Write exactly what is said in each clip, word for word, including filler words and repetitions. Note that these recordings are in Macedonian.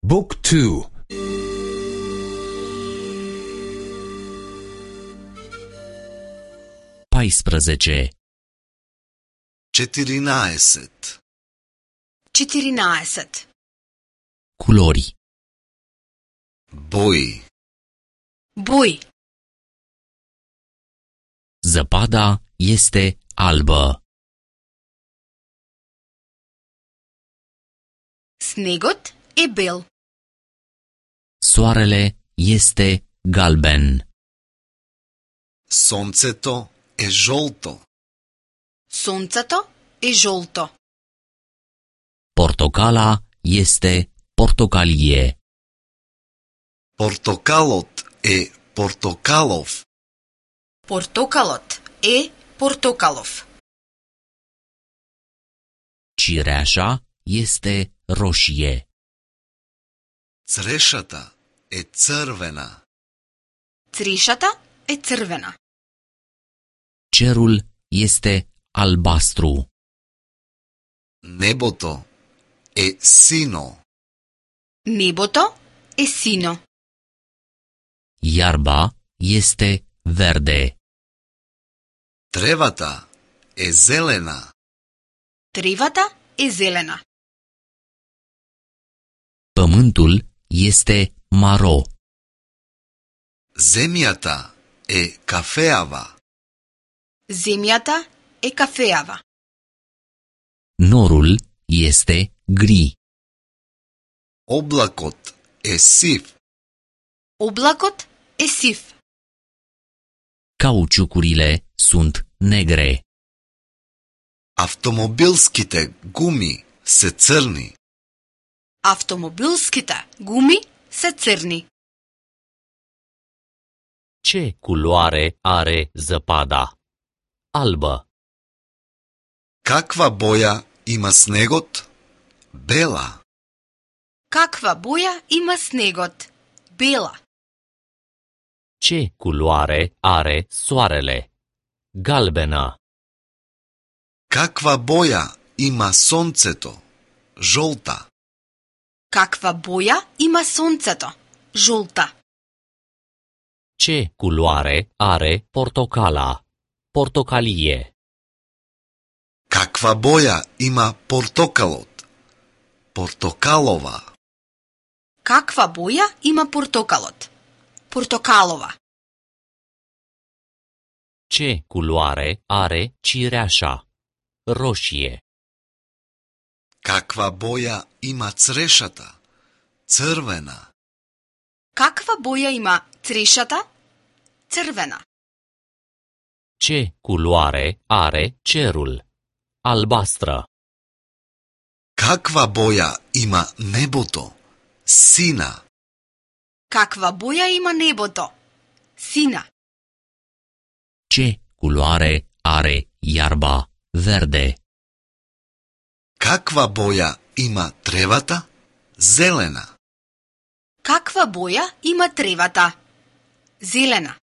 Book two. paisprezece. четиринаесет. четиринаесет. Culori. Бои. Бои. Zăpada este albă. Снегот е бел. Soarele este galben. Сонцето е жолто. Сонцето е жолто. Portocala este portocalie. Портокалот е портокалов. Портокалот е портокалов. Cireașa este roșie. Црешата е црвена. Црешата е црвена. Cerul este albastru. Небото е сино. Небото е сино. Iarba este verde. Тревата е зелена. Тревата е зелена. Pământul este maro. Земјата е кафеава. Земјата е кафеава. Norul este gri. Облакот е сив. Облакот е сив. Cauciucurile sunt negre. Автомобилските гуми се црни. Автомобилските гуми се црни. Ce culoare are zăpada? Albă. Каква боја има снегот? Бела. Каква боја има снегот? Бела. Ce culoare are soarele? Galbenă. Каква боја има сонцето? Жолта. Каква боја има сонцето? Жолта. Ce culoare are portocala? Portocalie. Каква боја има портокалот? Портокалова. Каква боја има портокалот? Портокалова. Ce culoare are cireașa? Roșie. Каква боја има црешата? Црвена. Каква боја има црешата? Црвена. Ce culoare are cerul? Albastră. Каква боја има небото? Сина. Каква боја има небото? Сина. Ce culoare are iarba? Verde. Каква боја има тревата? Зелена. Каква боја има тревата? Зелена.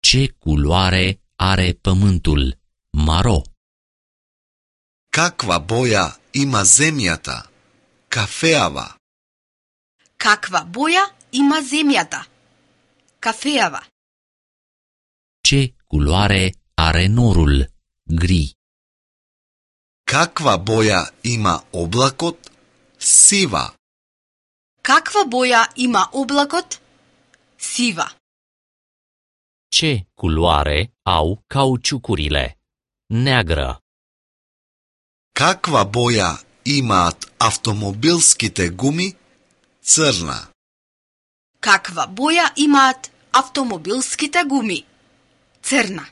Ce culoare are pământul? Maro. Каква боја има земјата? Кафеава. Каква боја има земјата? Кафеава. Ce culoare are norul? Gri. Каква боја има облакот? Сива. Каква боја има облакот? Сива. Ce culoare au cauciucurile? Neagră. Каква боја имаат автомобилските гуми? Црна. Каква боја имаат автомобилските гуми? Црна.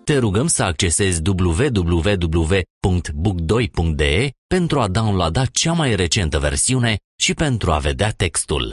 Te rugăm să accesezi w w w punct book doi punct d e pentru a downloada cea mai recentă versiune și pentru a vedea textul.